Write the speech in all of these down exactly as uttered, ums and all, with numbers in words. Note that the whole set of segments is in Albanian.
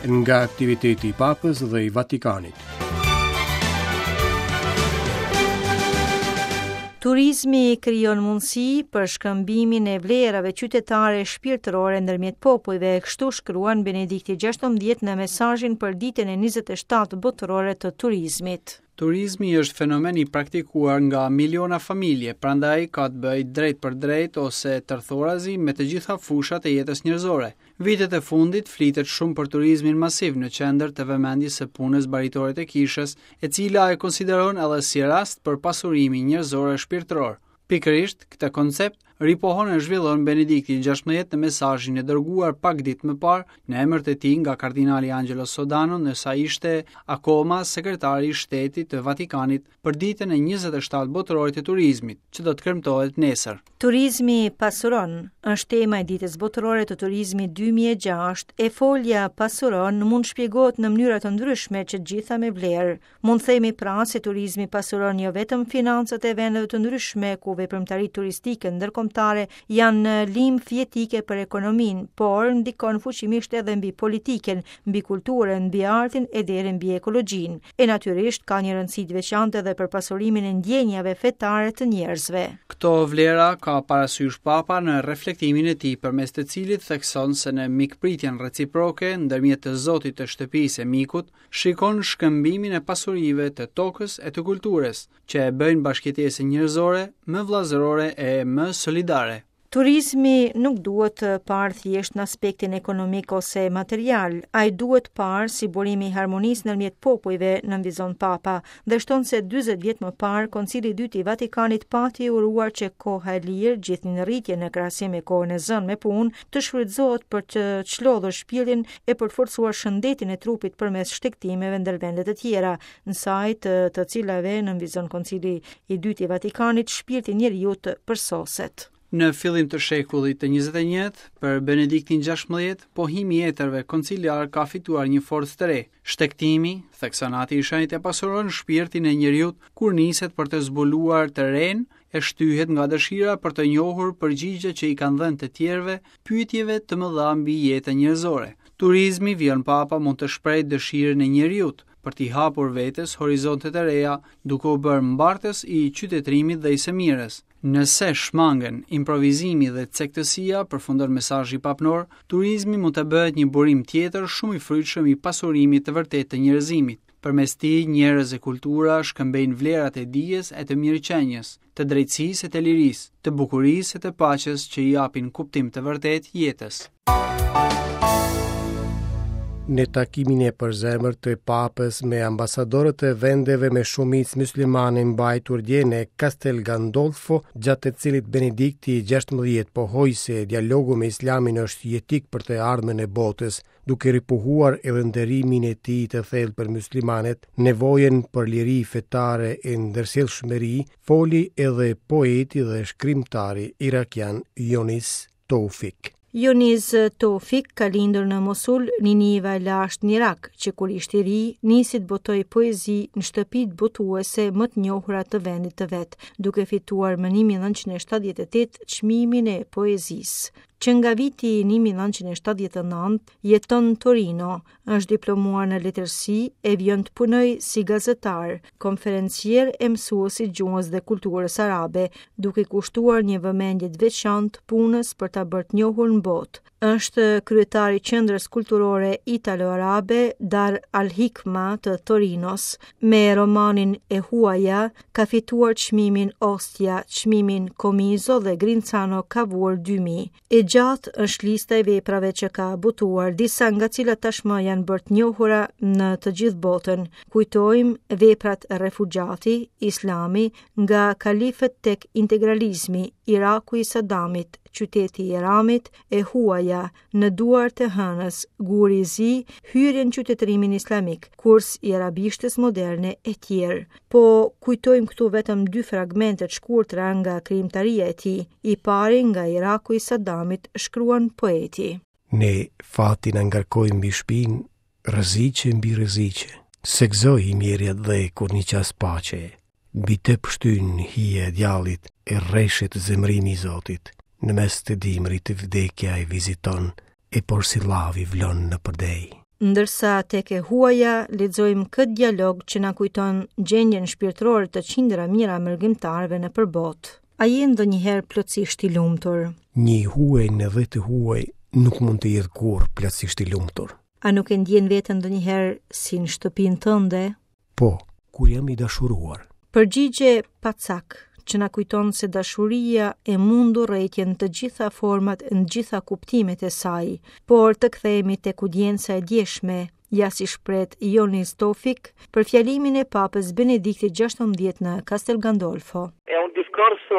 Nga aktiviteti i Papës dhe i Vatikanit. Turizmi krijon mundësi për shkëmbimin e vlerave qytetare e shpirtërore ndërmjet popujve, kështu shkruan Benedikti gjashtëmbëdhjetë në mesazhin për ditën e njëzet e shtatë botërore të turizmit. Turizmi është fenomen i praktikuar nga miliona familje, prandaj ka të bëjë drejt për drejt ose tërthorazi me të gjitha fushat e jetës njerëzore. Vitet e fundit flitet shumë për turizmin masiv në qendër të vëmendjes së punës baritore të kishës, e cila e konsideron edhe si rast për pasurimin njerëzor e shpirtëror. Pikërisht këtë koncept ripohon e zhvillon Benedikti gjashtëmbëdhjetë në mesazhin e dërguar pak ditë më parë në emër të tij nga kardinali Angelo Sodano, ndërsa ishte akoma sekretari i Shtetit të Vatikanit për ditën e njëzet e shtatë botërore të turizmit, që do të kremtohet nesër. Turizmi pasuron është tema e ditës botërore të turizmit dy mijë e gjashtë, e folja pasuron mund shpjegohet në mënyra të ndryshme që të gjitha me vlerë. Mund themi pra se turizmi pasuron jo vetëm financat e vendeve të ndryshme ku veprimtaritë turistike ndërkombëtare janë limf jetike për ekonominë, por ndikon fuqimisht edhe mbi politikën, mbi kulturën, mbi artin e deri mbi ekologjinë. E natyrisht ka një rëndësi të veçantë edhe për pasurimin e ndjenjave fetare të njerëzve. Këto vlera ka parasysh Papa në reflektimin e tij, përmes të cilit thekson se në mikpritjen reciproke ndërmjet të Zotit të shtëpisë e mikut, shikon shkëmbimin e pasurive të tokës e të kulturës, që e bëjnë bashkëjetesën njerëzore më vëllazërore e më solidare. Turizmi nuk duhet të parë thjesht në aspektin ekonomik ose material, ai duhet parë si burimi i harmonisë ndërmjet popujve, nënvizon Papa, dhe shton se dyzet vjet më parë Koncili i Dytë i Vatikanit pati uruar që koha e lirë, gjithnjë në rritje në krahasim me kohën e zënë me punë, të shfrytëzohet për të çlodhur shpirtin e për të forcuar shëndetin e trupit përmes shtegtimeve ndër vende të tjera, në saj të, të cilave nënvizon Koncili i Dytë i Vatikanit, shpirti i njeriut përsoset. Në fillim të shekullit të njëzet e njëjtë, për Benediktin gjashtëmbëdhjetë, pohimi i etërve konciliar ka fituar një forcë të re. Shtegtimi, thekson Ati i Shenjtë, e pasuron shpirtin e njeriut kur niset për të zbuluar të renë, e shtyhet nga dëshira për të njohur përgjigje që i kanë dhënë të tjerëve pyetjeve të mëdha mbi jetën njerëzore. Turizmi, vijon Papa, mund të shprehë dëshirën e njeriut për t'i hapur vetes horizontet e reja, duke u bërë mbartës i qytetërimit dhe i së mirës. Nëse shmangen improvizimi dhe cektësia, përfundon mesazhi papnor, turizmi mund të bëhet një burim tjetër shumë i frytshëm i pasurimit të vërtetë të njerëzimit. Përmes tij, njerëz e kultura shkëmbejnë vlerat e dijes e të mirëqenies, të drejtësisë e të lirisë, të bukurisë e të paqes që i japin kuptim të vërtetë jetës. Në takimin e përzemër të Papës me ambasadorët e vendeve me shumicë muslimane mbajtur dje në Castel Gandolfo, gjatë të cilit Benedikti i gjashtëmbëdhjetë pohoi se dialogu me Islamin është jetik për të ardhmen e botës, duke ripohuar edhe nderimin e tij të thellë për muslimanët, nevojën për liri fetare e ndërsjellshmëri, foli edhe poeti dhe shkrimtari irakian Jonis Toufik. Jonis Toufik ka lindur në Mosul, Niniva e lashtë në Irak, që kur ishte i ri, nisi të botojë poezi në shtëpitë botuese më të njohura të vendit të vet, duke fituar më një mijë e nëntëqind e shtatëdhjetë e tetë çmimin e poezisë. Që nga viti një mijë e nëntëqind e shtatëdhjetë e nëntë jeton në Torino, është diplomuar në letërsi e vjen të punojë si gazetar, konferencier e mësues i gjuhës dhe kulturës arabe, duke kushtuar një vëmendje të veçantë punës për ta bërë të njohur në botë. Është kryetari i Qendrës Kulturore Italo-Arabe Dar al-Hikma të Torinos. Me romanin E huaja ka fituar çmimin Ostia, çmimin Comiso dhe Grinzano Cavour dy mijë. E gjatë është lista e veprave që ka botuar, disa nga cilat tashmë janë bërë të njohura në të gjithë botën. Kujtojmë veprat Refugjati, Islami, nga kalifët tek integralizmi, Iraku i Saddamit, qyteti i Iramit, e huaja, në duart e hënës, guri i zi, hyrje në qytetërimin islamik, kurs i arabishtes moderne e tjerë. Po kujtojmë këtu vetëm dy fragmente të shkurtra nga krijimtaria e tij. I pari nga Iraku i Saddamit, shkruan poeti. Ne fatin na ngarkojmë mbi shpinë, rreziqe mbi rreziqe. Se gëzoi i mjerja dhe kur një qas paqe. Mbi të pështyn hije e djallit e reshet zemrimi i Zotit. Në mes të dimrit vdekja e viziton, e porsi llavi vlon në përdej. Ndërsa tek e huaja lexojmë këtë dialog që na kujton gjendjen shpirtërore të qindra mijëra mërgimtarëve nëpër botë. A je ndonjëherë plotësisht i lumtur? Një i huaj në dhe të huaj nuk mund të jetë kurrë plotësisht i lumtur. A nuk e ndjen veten ndonjëherë si në shtëpinë tënde? Po, kur jam i dashuruar. Përgjigje pa cak, që na kujton se dashuria e mund urrejtjen të gjitha format e në gjitha kuptimet e saj, por të kthehemi tek audienca e djeshme, ja si shprehet Joniz Tofik për fjalimin e Papës Benediktit gjashtëmbëdhjetë në Castel Gandolfo. È un discorso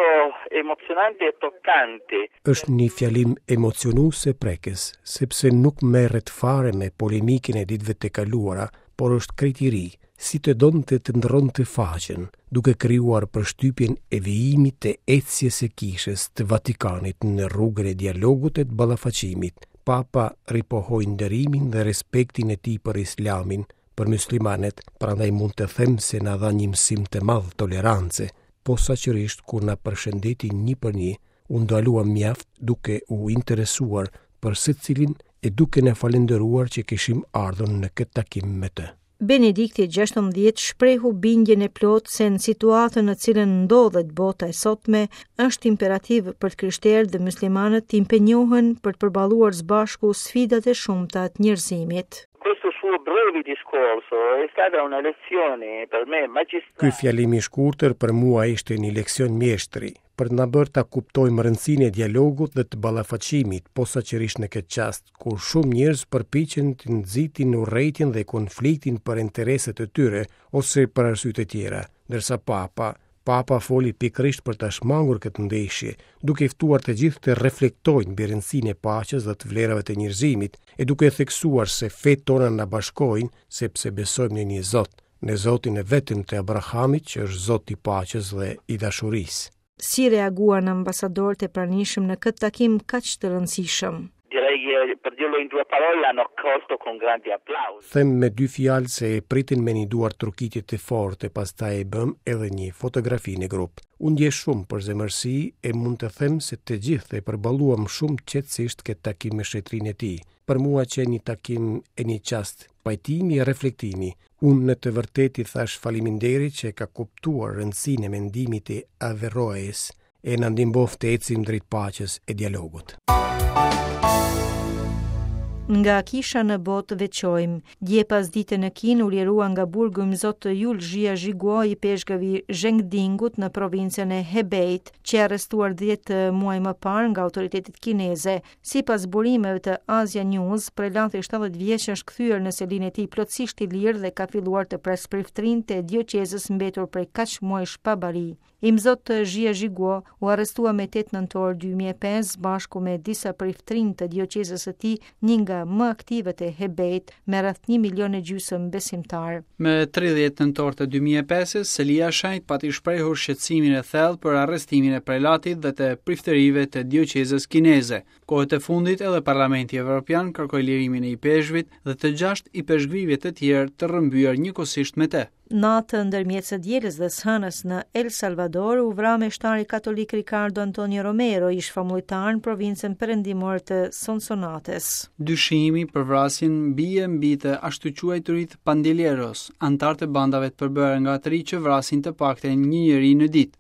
emozionante e toccante. Është një fjalim emocionues e prekës, sepse nuk merret fare me polemikën e ditëve të kaluara, por është krejt i ri, si të donte të ndërronte faqen, duke krijuar përshtypjen e vijimit të ecjes së kishës të Vatikanit në rrugën e dialogut e të ballafaqimit. Papa ripohoi nderimin dhe respektin e tij për Islamin, për muslimanët, prandaj mund të them se na dha një mësim të madh tolerance, posaçërisht kur na përshëndeti një për një, u ndalua mjaft duke u interesuar për secilin e duke na falënderuar që kishim ardhur në këtë takim me të. Benedikti gjashtëmbëdhjetë shprehu bindjen e plotë se në situatën në cilën ndodhet bota e sotme është imperativ për të krishterët dhe muslimanët të impenjohen për të përballuar së bashku sfidat e shumta të njerëzimit. Questo suo breve discorso è stata una lezione per me magistrale. Ky fjalim i shkurtër për mua ishte një leksion mjeshtri, për të na bërë ta kuptojmë rëndësinë e dialogut dhe të ballafaqimit, posaçërisht në këtë çast kur shumë njerëz përpiqen të nxitin urrejtjen dhe konfliktin për interesat e tyre ose për arsye të tjera, ndërsa Papa, Papa foli pikërisht për ta shmangur këtë ndeshje, duke ftuar të gjithë të reflektojnë mbi rëndësinë e paqes dhe të vlerave të njerëzimit, e duke theksuar se fetë tona na bashkojnë sepse besojmë në një Zot, në Zotin e vetëm të Abrahamit, që është Zoti i paqes dhe i dashurisë. Si reaguan ambasadorët e pranishëm në këtë takim kaq të rëndësishëm? Direi che, per dirlo in due parole, l'hanno accolto con grandi applausi. Them me dy fjalë se e pritën me një duar trokitje të fortë e pastaj e bëm edhe një fotografi në grup. U ndje shumë për zemërsi e mund të them se të gjithë e përballuam shumë qetësisht këtë takim me shetërinë e tij. Për mua qe një takim e një çast pajtimi e reflektimi. Unë në të vërtetë i thash faleminderit që ka kuptuar rëndësinë e mendimit të Averroes e na ndihmoft të ecim drejt paqes e dialogut. Nga kisha në botë veçojmë. Dje pas dite në Kinë u lirua nga burgu Imzot Jul Zhia Zhiguo i peshkëvi Zhengdingut në provincën e Hebeit, që e arrestuar dhjetë muaj më parë nga autoritetet kineze. Sipas burimeve të Asia News, prelati shtatëdhjetë vjeç është kthyer në selinë e tij plotësisht i lirë dhe ka filluar të presë priftërinë e dioqezës mbetur prej kaq muajsh pa bari. Imzot Zhia Zhiguo u arrestua me tetë nëntor dy mijë e pesë bashku me disa priftërinj të dioqezës së tij, një nga më aktivët e Hebeit, me rreth një milion e gjysmë besimtar. Me tridhjetë nëntor të dy mijë e pesës, Selia e Shenjtë pati shprehur shqetësimin e thellë për arrestimin e prelatit dhe të priftërive të dioqezës kineze. Kohët e fundit edhe Parlamenti Evropian kërkoi lirimin e ipeshkvit dhe të gjashtë ipeshkvive të tjerë të rrëmbyer njëkohësisht me të. Natën ndërmjet së dielës dhe së hënës në El Salvador u vra meshtari katolik Ricardo Antonio Romero, ish famullitar në provincën perëndimore të Sonsonates. Dyshimi për vrasjen bie mbi të ashtuquajturit pandilleros, antar të bandave të përbërë nga të ri që vrasin të paktën një njeri në ditë.